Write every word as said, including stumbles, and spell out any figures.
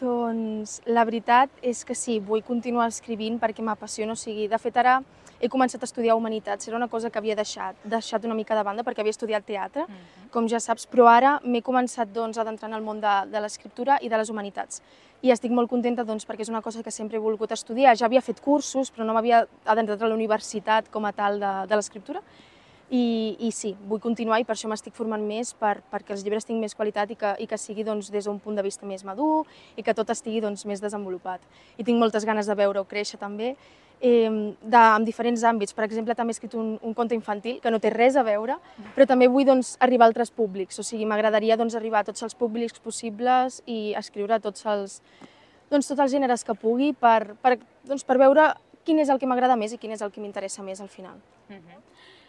Doncs la veritat és que sí, vull continuar escrivint perquè m'apassiona, o sigui, de fet ara he començat a estudiar Humanitats, era una cosa que havia deixat, deixat una mica de banda perquè havia estudiat teatre, com ja saps, però ara m'he començat doncs, a adentrar en el món de, de l'escriptura i de les humanitats. I estic molt contenta doncs, perquè és una cosa que sempre he volgut estudiar, ja havia fet cursos, però no m'havia adentrat a la universitat com a tal de, de l'escriptura. I, I sí, vull continuar i per això m'estic formant més per, perquè els llibres tinguin més qualitat i que, i que sigui doncs, des d'un punt de vista més madur i que tot estigui doncs, més desenvolupat. I tinc moltes ganes de veure-ho créixer també, eh, de, en diferents àmbits. Per exemple, també he escrit un, un conte infantil que no té res a veure, però també vull doncs, arribar a altres públics. O sigui, m'agradaria doncs, arribar a tots els públics possibles i escriure tots els, doncs, tots els gèneres que pugui per, per, doncs, per veure quin és el que m'agrada més i quin és el que m'interessa més al final. Uh-huh.